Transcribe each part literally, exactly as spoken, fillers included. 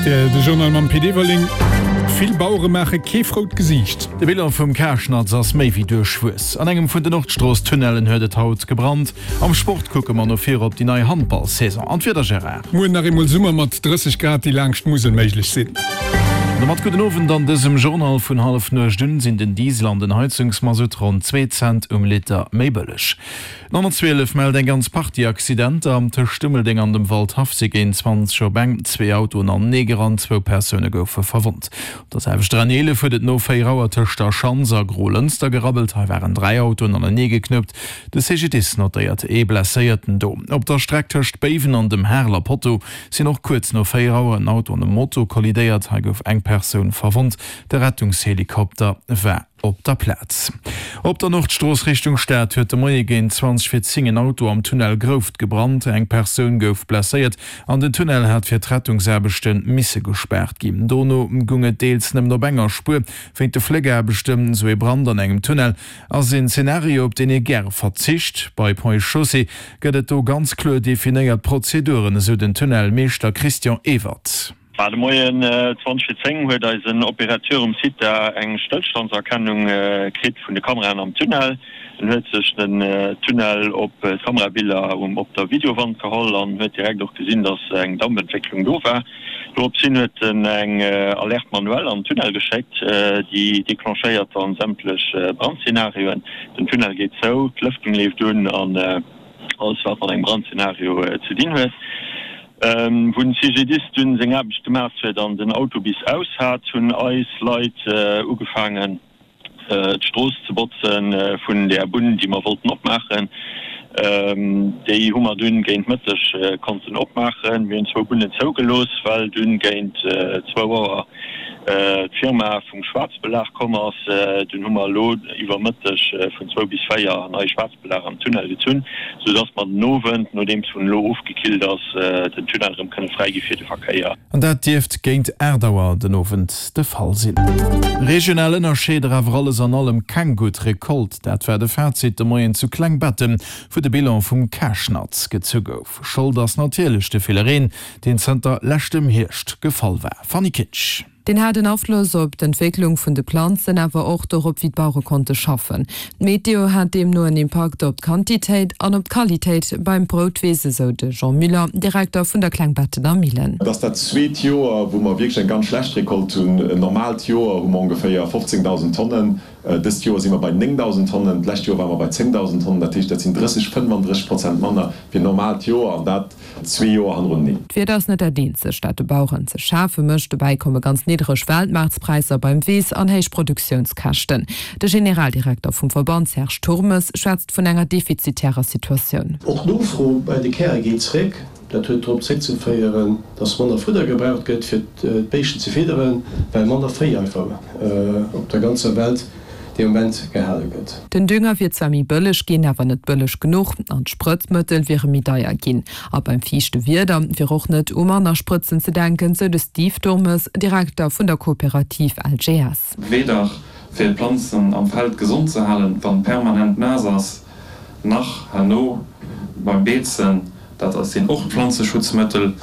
rtl, De Journal mam Pit Everling. Vill Bauere maache kee frout Gesiicht. De Bilan vum Karschnatz ass méi wéi duerchwuess. An engem vun den Nordstrooss-Tunnellen huet et haut gebrannt. Am Sport kucke mer no vir op déi nei Handball-Saison. An d'Wieder, Gérard? Muer nach eemol Summer mat drësseg Grad, déi laanscht d'Musel méiglech sinn. An domat gudden Owend. An dësem Journal vun Hallefnuecht un sinn den Diesel an den Heizungsmasutt ronn zwee Cent um Liter méi bëlleg. D'honnertzwielef mellt eng ganz Partie Accidenter. Tëscht Dummeldeng an dem Waldhaff si géint zwanzeg op eng zwee Autoen anenee gerannt, zwou Persoune goufe verwonnt. Op der selwechter N eelef huet et no véier Auer tëscht der Schanz a Grolënster gerabbelt. Hei waren dräi Autoen anenee geknuppt. De C G D I S notéiert ee Blesséierten do. Op der Streck tëscht Béiwen an dem Hareler Potto sinn och kuerz no véier Auer en Auto an e Moto kollidéiert. Hei gouf eng Persoun verwonnt. De Rettungshelikopter war op der Plaz. Op der Nordstrooss Richtung Stad huet de Moie géint zwanzeg vir zéng en Auto am Tunnel Grouft gebrannt. Eng Persoun gouf blesséiert an den Tunnel hat fir d'Rettungsaarbechte misse gespaart ginn. Dono goung et deels nëmmen op enger Spuer wéint de Fléckaarbechten. Sou ee Brand an engem Tunnel ass een Zenario, op deen ee gäre verzicht. Bei Ponts et Chaussées gëtt et do ganz kloer definéiert Prozeduren, esou den Tunnelmeeschter Christian Ewert. De Moien zwanzeg vir zéng huet eisen Opérateur um Site da eng Stëllstandserkennung kritt vun de Kameraen am Tunnel. En huet sech den Tunnel op d'Kamerabiller op der Videowand geholl an huet direkt och gesinn, dass eng Dampentwécklung do war. Dorops hin huet en eng Alerte manuelle am Tunnel geschéckt, déi declenchéiert dann sämtlech Brandszenarioen. Den Tunnel geet zou, d'Lëftung leeft un an alles wat mat engem Brandszenario ze dinn huet. Wou den C G D I S dunn seng Aarbecht gemaach huet an den Auto bis aus hat, hunn eis Leit ugefaangen d'Strooss ze botzen vun där Bunn, déi mer wollten opmaachen. Déi hu mer dunn géint Mëtteg konnten opmaachen. Mir hunn zwou Bunnen zougelooss, well dunn géint zwou Auer d'Firma vum Schwaarzbelag komm ass. Dunn hu mer elo iwwer Mëtteg vun zwou bis véier nei Schwaarzbelag am Tunnel gezunn, sou dass mer den Owend, nodeems en elo ofgekillt ass, den Tunnel erëm kënne fräigi fir de Verkéier. An dat dierft géint aacht Auer den Owend de Fall sinn. Regional Ënnerscheeder, awer alles an allem keng gutt Recolte, dat war de Fazit de Moien zu Klengbetten, wou de Bilan vum Karschnatz gezu gouf. Schold ass natierlech de ville Reen, deen zënter leschtem Hierscht gefall war. Fanny Kinsch. Deen hat en Afloss op d'Entwécklung vun de Planzen, awer och dorop, wéi d'Bauere konnte schaffen. D'Meteo hat deemno en Impakt op d'Quantitéit an op d'Qualitéit beim Broutweess, esou de Jean Müller, Direkter vun der Klengbettener Millen. Et ass dat zweet Joer, wou mer wierklech eng ganz schlecht Recolte hunn. En normaalt Joer hu mer ongeféier fofzéngdausend Tonnen. Dëst Joer si mer bei néngdausend Tonnen, d'lescht Joer ware mer bei zéngdausend Tonnen. Dat heescht, dat sinn drësseg, fënnfandrësseg Prozent manner wéi en normaalt Joer, an dat zwee Joer hannereneen. D'Wieder ass net dat eenzegt, dat de Baueren ze schafe mécht. Dobäi komme ganz niddereg Weltmaartspräisser beim Weess an héich Produktiounskäschten. De Generaldirekter vum Verband Serge Turmes schwätzt vun enger defizitärer Situatioun. Och d'Nofro bei de Käre geet zréck. Dat huet drop zréckzeféieren, dass manner Fudder gebraucht gëtt, fir d'Béischten ze fidderen, well manner Véi einfach op der ganzer Welt dee Moment gehale gëtt. Den Dünger wier zwar méi bëlleg ginn, awer net bëlleg genuch, an d'Sprëtzmëttel wiere méi deier ginn. A beim fiichte Wieder wier och net u manner Sprëtzen ze denken, sou de Steve Turmes, Direkter vun der Kooperativ L G S. Weder fir d'Planzen am Feld gesond ze halen, wann permanent naass ass, nach herno beim Beezen, dat sinn och Planzeschutzmëttel.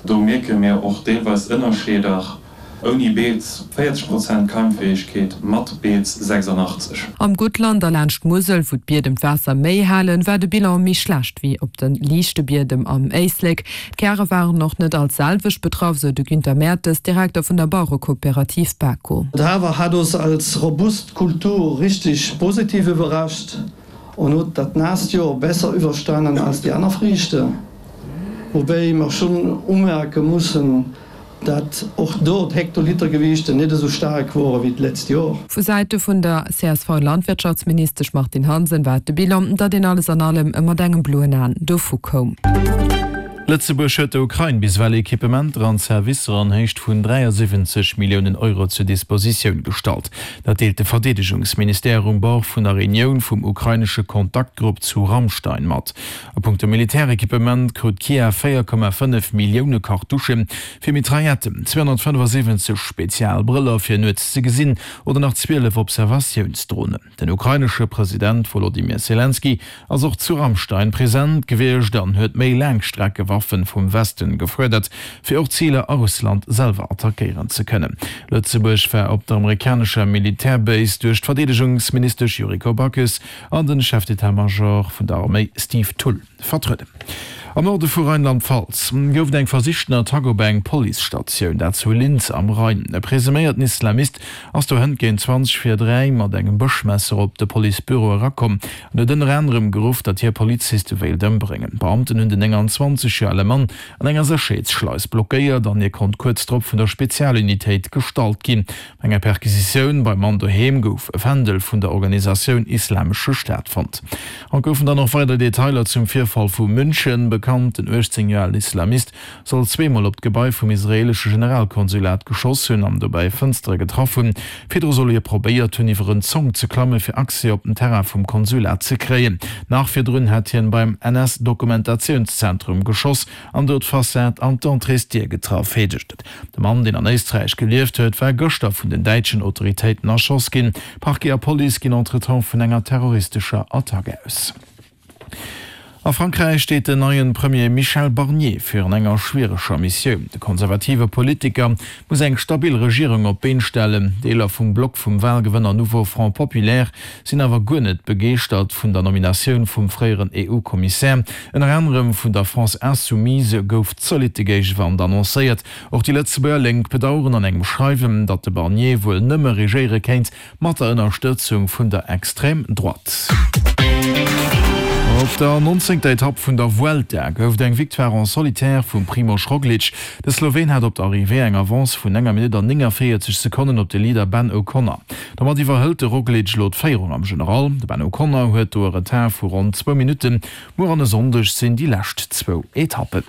Do mierke mir och deelweis Ënnerscheeder, ouni Beez véierzeg Prozent Keimfäegkeet, mat Beez sechsandachtzeg. Am Guttland a laanscht d'Musel, wou d'Biedem d'Waasser méi halen, war de Bilan méi schlecht wéi op de liichte Biedem am Éislek. D'Käre waren och net all d'selwecht betraff, sou de Günther Mertes, Direkter vun der Bauerekooperativ Bako. De Hafer hat ons als robust Kultur richtig positiv iwwerrascht an huet dat naasst Joer besser iwwerstanen als déi aner Friichten, woubäi mer schonn umerke mussen, dat och do d'Hektolitergewiichter net esou staark wore wéi d'letzt Joer. Vu Säite vun der C S V-Landwirtschaftsministesch Martine Hansen war et de Bilan, datt een alles an allem mat engem bloen Aen dovu koum. Lëtzebuerg huet der Ukrain bis ewell Equipementer an Servicer an Héicht vun dräiasiwwenzeg Milliounen Euro zur Dispositioun gestallt. Dat deelt de Verdeedegungsministère um Bord vun der Reunioun vum ukrainesche Kontaktgrupp zu Ramstein mat. A punkto Militärequipement krut Kiew véier Komma fënnef Millioune Kartuschen fir Mitrailletten, zweehonnertfënnefasiwwenzeg Spezialbrëller fir nuets ze gesinn oder nach zwielef Observatiounsdronen. Den ukrainesche President Wolodymyr Selenskyj ass och zu Ramstein present gewiescht an huet méi Laangstreckewaffe Waffen vum Westen gefuerdert, fir och Ziler a Russland selwer attackéieren ze kënnen. Lëtzebuerg war op der amerikanescher Militärbase duerch d'Verdeedegungsministesch Yuriko Backes an den Chef d'état-major vun der Arméi Steve Thull vertrueden. Am Norde vu Rheinland-Pfalz gouf et eng versichten Attack op eng Policestatioun, dat zu Linz am Rhein. E presuméierten Islamist ass do hënt géint zwanzeg vir dräi mat engem Bëschmesser op de Policebüro erakomm an huet ënner anerem geruff, datt hie Poliziste wéilt ëmbréngen. D'Beamten hunn den nénganzwanzeg Joer ale Mann an enger Sécherheetsschleis blockéiert an hie konnt kuerz drop vun der Spezialunitéit gestallt ginn. Bei enger Perquisitioun beim Mann doheem gouf e Fändel vun der Organisatioun Islamesche Staat fonnt. Haut goufen dann och weider Detailer zum Virfall vu München bekannt. Den uechtzéng Joer alen Islamist soll zweemol op d'Gebai vum israeelesche Generalkonsulat geschoss hunn an dobäi Fënstere getraff hunn. Virdru soll hie probéiert hunn, iwwer en Zonk ze klammen, fir Accès op den Terrain vum Konsulat ze kréien. Nach virdrun hätt hien beim N S-Dokumentationszentrum geschoss an do d'Fassad an d'Entréesdier getraff, heescht et. De Mann, deen an Éisträich gelieft huet, war gëschter vun den däitschen Autoritéiten erschoss ginn. Parquet a Police ginn entretemps vun enger terroristescher Attack aus. A Frankräich steet den neien Premier Michel Barnier virun enger schwiereger Missioun. De konservative Politiker muss eng stabil Regierung op d'Been stellen. Deeler vum Block vum Walgewënner Nouveau Front Populaire sinn awer guer net begeeschtert vun der Nominatioun vum fréieren E U-Kommissär. Ënner anerem vun der France Insoumise gouf zolitte Géigewand annoncéiert. Och déi Lëtzebuerger Lénk bedaueren an engem Schreiwen, datt de Barnier wuel nëmme regéiere kéint mat der Ënnerstëtzung vun der Extrême Droite. Op der nonzéngter Etapp vun der Vuelta gouf et eng Victoire en solitaire vum Primož Roglič. De Sloween hat op der Arrivée eng Avance vun enger Minutt an néngavéierzeg Sekonnen op de Leader Ben O'Connor. Domat iwwerhëlt de Roglič elo d'Féierung am General. De Ben O'Connor huet do e Retard vu ronn zwou Minutten. Muer an e Sonndeg sinn déi lescht zwou Etappen.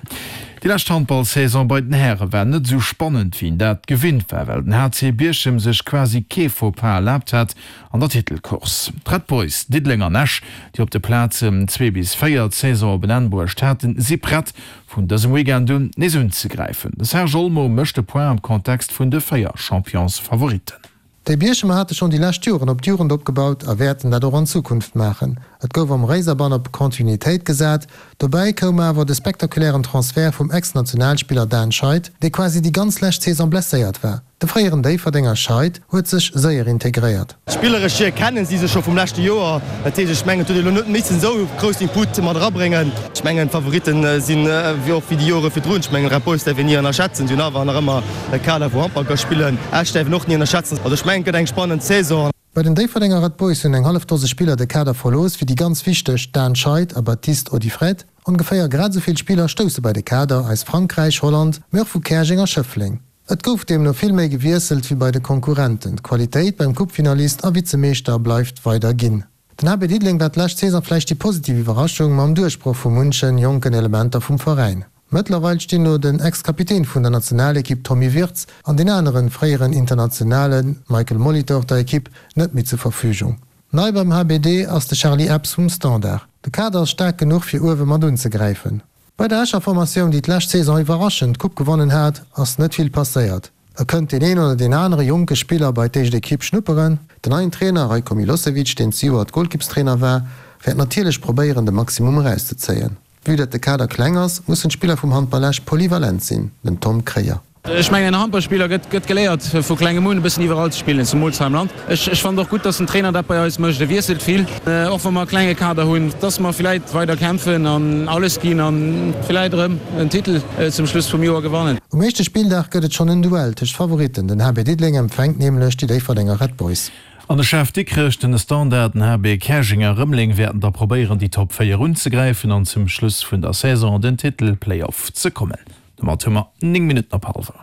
Déi lescht Handballsaison bei den Häre war net esou spannend, wéi een dat gewinnt war, well den H C Bierchem sech quasi kee Faux-pas erlaabt hat an der Titelcourse. D'Red Boys Diddeleng an Esch, déi op de Plazen zwee bis véier d'Saison op en Enn bruecht haten, si prett, vun dësem Weekend un nees unzegräifen. De Serge Olmo mécht de Point am Kontext vun de véier Championsfavoritten. Déi Bierchemer hate schonn déi lescht Joren op d'Jugend opgebaut a wäerten dat och an Zukunft maachen. Et gouf am Réiserbann op Kontinuitéit gesat. Dobäi koum awer de spektakulären Transfert vum Ex-Nationalspiller Dan Scheid, dee quasi déi ganz lescht Saison blesséiert war. De fréieren Déifferdenger Scheid huet sech séier integréiert. Spilleresch hier kennen si sech scho vum leschte Joer. Dat heescht, ech mengen, et huet ee elo net missen esou grouss Input mat erabréngen. Ech mengen, d'Favoritten sinn wéi och wéi déi Jore virdrun. Ech mengen, Red Boys däerf een ni ënnerschätzen. Si hunn awer nach ëmmer e Kader, wou Handball ka spillen. Esch däerf een och ni ënnerschätzen. Also ech mengen, et gëtt eng spannend Saison. Bei den Déifferdenger Red Boys hunn eng hallef Dose Spiller de Kader verlooss, wéi déi ganz wichteg Dan Scheid a Baptiste Audiffred. Ongeféier grad esou vill Spiller stousse bei de Kader aus Frankräich, Holland, mee och vu Käerjeng a Schëffleng. Et gouf deemno vill méi gewiesselt wéi bei de Konkurrenten. D'Qualitéit beim Coupefinalist a Vizemeeschter bleift weider ginn. Den H B Diddeleng war d'lescht Saison vläicht déi positiv Iwwerraschung mam Duerchbroch vu munchen jonken Elementer vum Veräin. Mëttlerweil stinn elo den Ex-Kapitän vun der Nationalekipp Tommy Wirtz an deen aneren fréieren Internationale Michael Molitor der Ekipp net méi zur Verfügung. Nei beim H B D ass de Charly Epps vum Standard. De Kader ass staark genuch fir uewe mat unzegräifen. Bei der Escher Formatioun, déi d'lescht Saison iwwerraschend d'Coupe gewonnen hat, ass net vill passéiert. Et kënnt deen een oder deen anere jonke Spiller bei d'éischt Ekipp schnupperen. Den neien Trainer Rajko Milosevic, deen zejoert Golkippstrainer war, wäert natierlech probéieren de Maximum erauszezéien. Vue dat de Kader kleng ass, mussen d'Spiller vum Handball Esch polyvalent sinn, den Tom Kreyer. Ech mengen, en Handballspiller gëtt gëtt geléiert vu klengem un e bëssen iwwerall ze spillen, zemools hei am Land. Ech ech fannen och gutt, dass den Trainer dat bei eis mécht, e wiesselt vill, och wa mer e klenge Kader hunn, dass mer villäit weider kämpfen an alles ginn an villäit erëm en Titel zum Schluss vum Joer gewannen. Um éischte Spilldag gëtt et schonn en Duell tëscht Favoritten, den H B Diddeleng empfänkt nämlech déi Déifferdenger Red Boys. An de Chef Dikrech, den Standard, den H B Käerjeng a Rëmeleng wäerten da probéieren, déi Top véier unzegräifen an zum Schluss vun der Saison an den Titel-Playoff ze kommen. Domat hu mer néng Minutten op hallwer.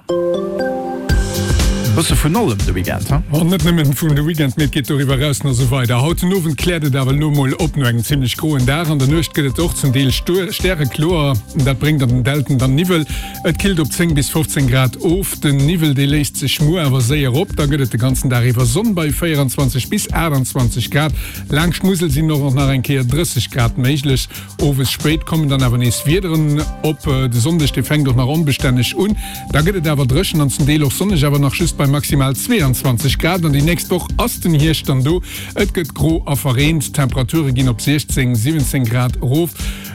Bësse vun allem de Weekend, ha? An net nëmmen vun de Weekend, mee et geet doriwwer eraus nach esou weider. Haut den Owend kläert et awer elo mol op no engem zimmlech groen Dag. An der Nuecht gëtt et och zum Deel stärekloer. Dat bréngt an den Dälten dann Niwwel. Et killt op zéng bis fofzéng Grad of. Den Niwwel, dee léist sech muer awer séier op. Da gëtt et de ganzen Dag iwwer Sonn bei véieranzwanzeg bis aachtanzwanzeg Grad. Laangscht d'Musel sinn och nach eng Kéier drësseg Grad méiglech. Owes spéit kommen dann awer nees Wiederen op. De Sonndeg, dee fänkt och nach onbestänneg un, da gëtt et awer dréchen an zum Deel och sonneg, awer nach just bei bei maximal zweeanzwanzeg Grad. An déi nächst Woch ass den Hierscht dann do. Et gëtt gro a verreent, d'Temperature ginn op siechzéng, siwwenzéng Grad erof.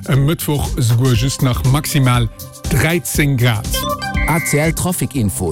E Mëttwoch esouguer just nach maximal dräizéng Grad. A C L Trafic Info.